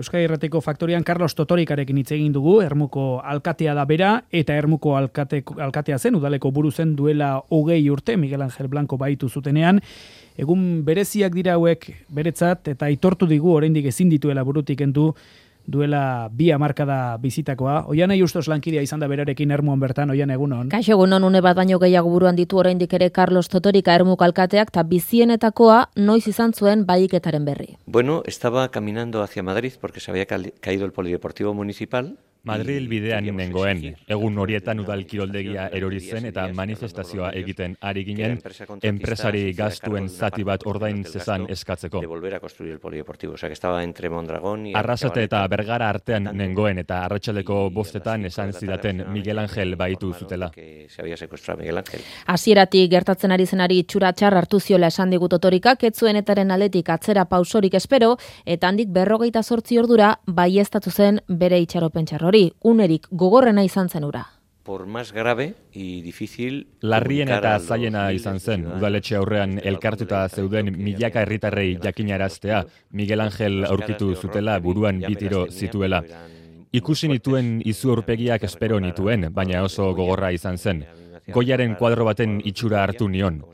Euskadi Irratiko Faktorian Carlos Totorikarekin hitz egin dugu, Ermuko alkatea da bera, eta Ermuko alkatea zen, udaleko buru zen duela 20 urte, Miguel Ángel Blanco baitu zutenean. Egun bereziak dira hauek beretzat, eta aitortu digu oraindik ezin dituela burutik kendu, duela 2 hamarkada bizitakoa. Oianai Ustos lankidea izan da berarekin Ermuan bertan, Oian egunon. Kaixo egunon, une bat baino gehiago buruan ditu oraindik ere Carlos Totorika Ermuko alkateak, eta bizienetakoa noiz izan zuen bahiketaren berri. Bueno, estaba caminando hacia Madrid porque se había caído el polideportivo municipal. Madril bidean nengoen, egun horietan udal kiroldegia erori zen eta manifestazioa egiten ari ginen, enpresari gastuen zati bat ordain zezan eskatzeko. De volver a construir el polideportivo, o sea que estaba entre Mondragón y Arrasate eta Bergara artean nengoen eta arratsaldeko 5 esan zidaten Miguel Ángel baitu zutela. Se había secuestrado Miguel Ángel. Hasieratik gertatzen ari zenari itxura txar hartu ziola esan digu Totorikak, ez zuen etaren aldetik atzera pausorik espero, eta handik 48 ordura baieztatu zen bere itxaropen txarrori. Unerik gogorrena izan zen ura. Por más grave y difícil. Larrien eta zailena izan zen, udaletxe aurrean elkartuta zeuden milaka herritarrei jakinaraztea, Miguel Ángel aurkitu zutela buruan 2 tiro zituela. Ikusi nituen izu aurpegiak espero nituen, baina oso gogorra izan zen. Goiaren kuadro baten itxura hartu nion.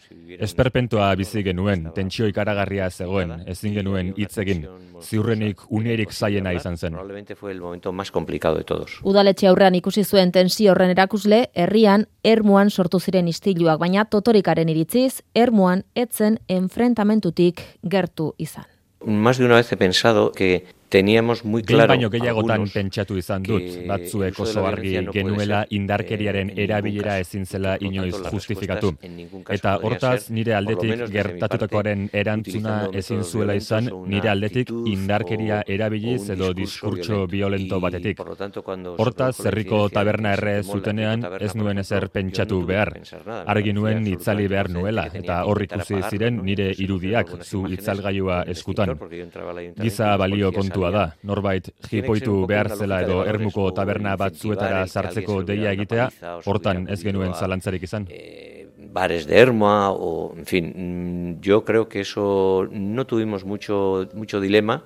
Esperpentoa bizi genuen, tentsio ikaragarria zegoen, ezin genuen hitz egin. Ziurrenik unerik zaiena izan zen. Probablemente fue el momento más complicado de todos. Udaletxe aurrean ikusi zuen tensio horren erakusle, herrian Ermuan sortu ziren istiluak, baina Totorikaren iritziz, Ermuan etzen enfrentamentutik gertu izan. Más de una vez he pensado que teníamos muy claro. Baino gehiagotan pentsatu izan dut, batzuek oso argi genuela indarkeriaren erabilera ezin zela inoiz justifikatu. Eta hortaz nire aldetik gertatutakoaren erantzuna ezin zuela izan, nire aldetik indarkeria erabiliz edo diskurtso violento batetik. Hortaz herriko taberna erre zutenean ez nuen ezer pentsatu behar. Argi nuen itzali behar nuela, eta hor ikusi ziren nire irudiak zu itzalgailua eskutan. Giza balio kontua da, norbait jipoitu behar zela edo Ermuko taberna batzuetara sartzeko deia egitea, hortan ez genuen zalantzarik izan. Bares de Ermua, o en fin, yo creo que eso no tuvimos mucho dilema.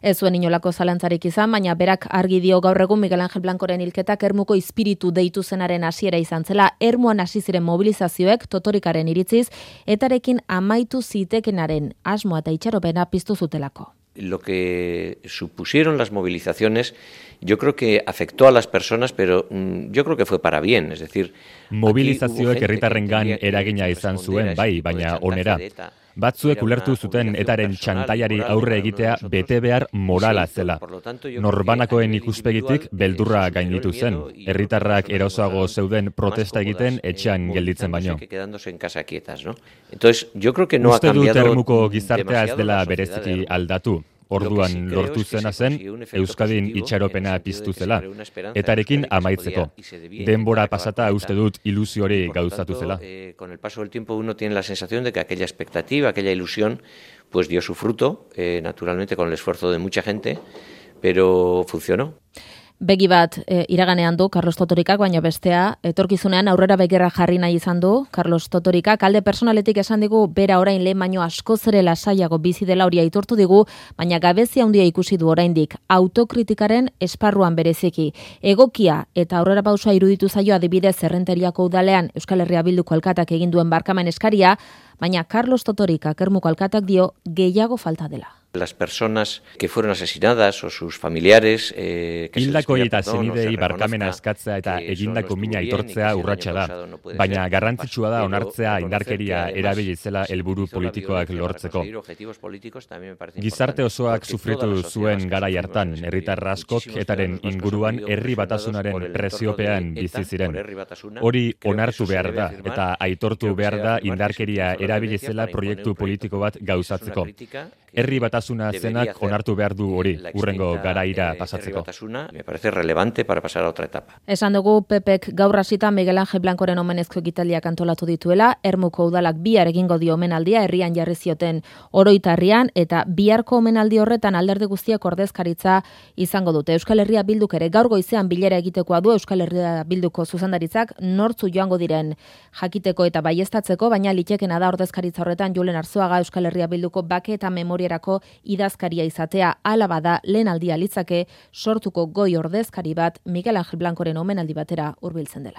Ez zuen inolako zalantzarik izan, baina berak argi dio gaur egun Miguel Ángel Blancoren hilketak Ermuko espiritu deitu zenaren hasiera izan zela. Ermuan hasi ziren mobilizazioek Totorikaren iritziz, etarekin amaitu zitekenaren asmoa eta itxaropena piztu zutelako. Lo que supusieron las movilizaciones, yo creo que afectó a las personas, pero yo creo que fue para bien, es decir... Mobilizazioek herritarrengan eragina izan zuen, bai, baina onera. Batzuek ulertu zuten etaren txantaiari aurre egitea bete behar morala zela. Norbanakoen ikuspegitik beldurra gainditu zen. Herritarrak erosoago zeuden protesta egiten etxean gelditzen baino. Uste dut Ermuko gizartea ez dela bereziki aldatu. Orduan lortu zena zen, Euskadin itxaropena piztu zela, etarekin amaitzeko. Denbora pasata uste dut ilusio hori gauzatu zela. Con el paso del tiempo uno tiene la sensación de que aquella expectativa, aquella ilusión, pues dio su fruto, naturalmente con el esfuerzo de mucha gente, pero funcionó. Begi bat iraganean du Carlos Totorikak, baina bestea etorkizunean aurrera begira jarri nahi izan du Carlos Totorikak. Alde personaletik esan digu bera orain lehen baino askoz ere lasaiago bizi dela hori aitortu digu, baina gabezia handia ikusi du oraindik autokritikaren esparruan bereziki. Egokia eta aurrera pausoa iruditu zaio adibidez Errenteriako udalean Euskal Herria Bilduko alkatak egin duen barkamen eskaria, baina Carlos Totorikak Ermuko alkatak dio gehiago falta dela. Las personas que fueron asesinadas o sus familiares hildako eta zenidei barkamena eskatzea eta egindako mina aitortzea urratsa da, baina garrantzitsua da onartzea indarkeria erabili zela helburu politikoak lortzeko. Gizarte osoak sufritu zuen garai hartan, herritar askok etaren inguruan herri batasunaren presiopean bizi ziren. Hori onartu behar da eta aitortu behar da indarkeria erabili zela proiektu politiko bat gauzatzeko. Herri batasuna zenak onartu behar du hori, hurrengo garaira pasatzeko. Me parece relevante para pasar a otra etapa. Esan dugu Pepek gaur hasita Miguel Ángel Blancoren omenezko ekitaldiak antolatu dituela, Ermuko udalak bihar egingo dio omenaldia herrian jarri zioten Oroitarrian eta biharko omenaldi horretan alderdi guztiak ordezkaritza izango dute. Euskal Herria Bilduk ere gaur goizean bilera egitekoa du Euskal Herria Bilduko zuzendaritzak nortzu joango diren jakiteko eta baieztatzeko, baina litekena da ordezkaritza horretan Julen Arzuaga Euskal Herria Bilduko bake eta memoria memoriarako idazkaria izatea. Hala bada lehen aldia litzake sortuko goi ordezkari bat Miguel Angel Blancoren omenaldi batera hurbiltzen dela.